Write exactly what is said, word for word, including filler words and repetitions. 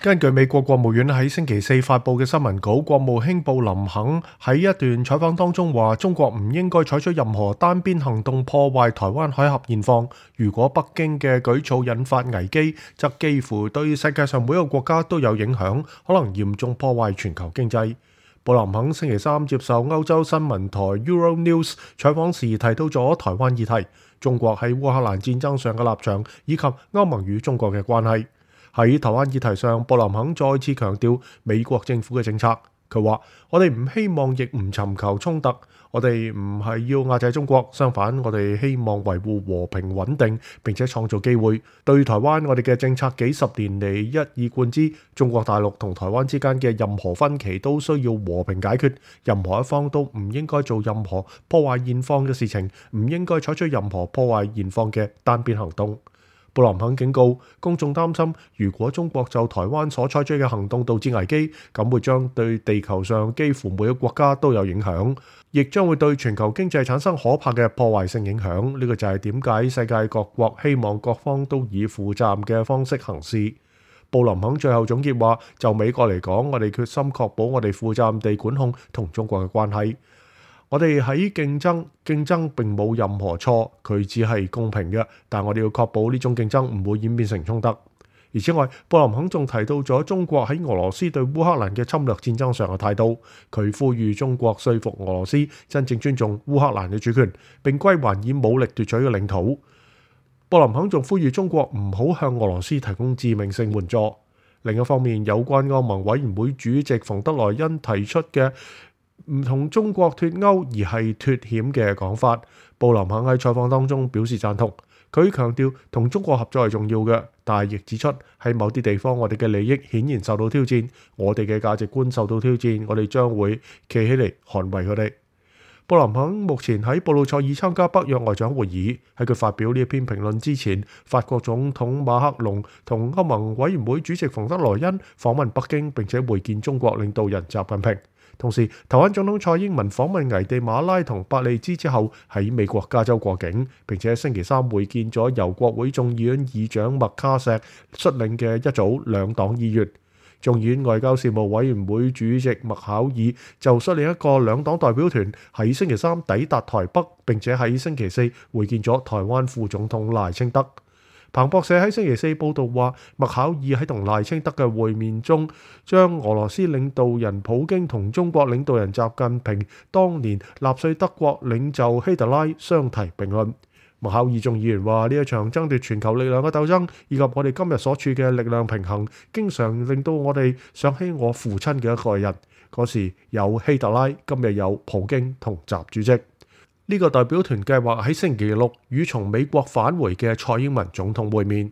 根據美國國務院喺星期四發布嘅新聞稿，國務卿布林肯喺一段採訪當中話，中國唔應該採取任何單邊行動破壞台灣海峽現況。如果北京嘅舉措引發危機，則幾乎對世界上每一個國家都有影響，可能嚴重破壞全球經濟。布林肯星期三接受歐洲新聞台 Euronews 採訪時提到咗台灣議題、中國喺烏克蘭戰爭上嘅立場，以及歐盟與中國嘅關係。喺台灣議題上，布林肯再次強調美國政府嘅政策。佢話：我哋唔希望亦唔尋求衝突，我哋唔係要壓制中國，相反，我哋希望維護和平穩定，並且創造機會。對台灣，我哋嘅政策幾十年嚟一以貫之，中國大陸同台灣之間嘅任何分歧都需要和平解決，任何一方都唔應該做任何破壞現況嘅事情，唔應該採取任何破壞現況嘅單邊行動。布林肯警告公眾擔心，如果中國就台灣所採取嘅行動導致危機，咁會將對地球上幾乎每個國家都有影響，亦將會對全球經濟產生可怕嘅破壞性影響。呢個就係點解世界各國希望各方都以負責任嘅方式行事。布林肯最後總結話：就美國嚟講，我哋決心確保我哋負責任地管控同中國嘅關係。我哋喺競爭，競爭並冇任何錯，佢只係公平嘅，但我哋要確保呢種競爭唔會演變成衝突。而此外，布林肯仲提到咗中國喺俄羅斯對烏克蘭嘅侵略戰爭上嘅態度，佢呼籲中國說服俄羅斯真正尊重烏克蘭嘅主權，並歸還以武力奪取嘅領土。布林肯仲呼籲中國唔好向俄羅斯提供致命性援助。另一方面，有關歐盟委員會主席馮德萊恩提出嘅唔同中國脫歐而係脫險嘅講法，布林肯喺採訪當中表示贊同。佢強調同中國合作係重要嘅，但係亦指出喺某啲地方我哋嘅利益顯然受到挑戰，我哋嘅價值觀受到挑戰，我哋將會企起嚟捍衛佢哋。布林肯目前喺布魯塞爾參加北約外長會議，喺佢發表呢一篇評論之前，法國總統馬克龍同歐盟委員會主席馮德萊恩訪問北京，並且會見中國領導人習近平。同時，台灣總統蔡英文訪問危地馬拉同伯利茲之後，喺美國加州過境，並且星期三會見咗由國會眾議院議長麥卡錫率領嘅一組兩黨議員。眾議院外交事務委員會主席麥考爾就率領一個兩黨代表團喺星期三抵達台北，並且喺星期四會見咗台灣副總統賴清德。彭博社喺星期四報道話，麥考爾喺同賴清德嘅會面中，將俄羅斯領導人普京同中國領導人習近平當年納粹德國領袖希特拉相提並論。麥考爾眾議員話：呢一場爭奪全球力量嘅鬥爭，以及我哋今日所處嘅力量平衡，經常令到我哋想起我父親嘅一個人。嗰時有希特拉，今日有普京同習主席。呢個代表團計劃喺星期六與從美國返回嘅蔡英文總統會面。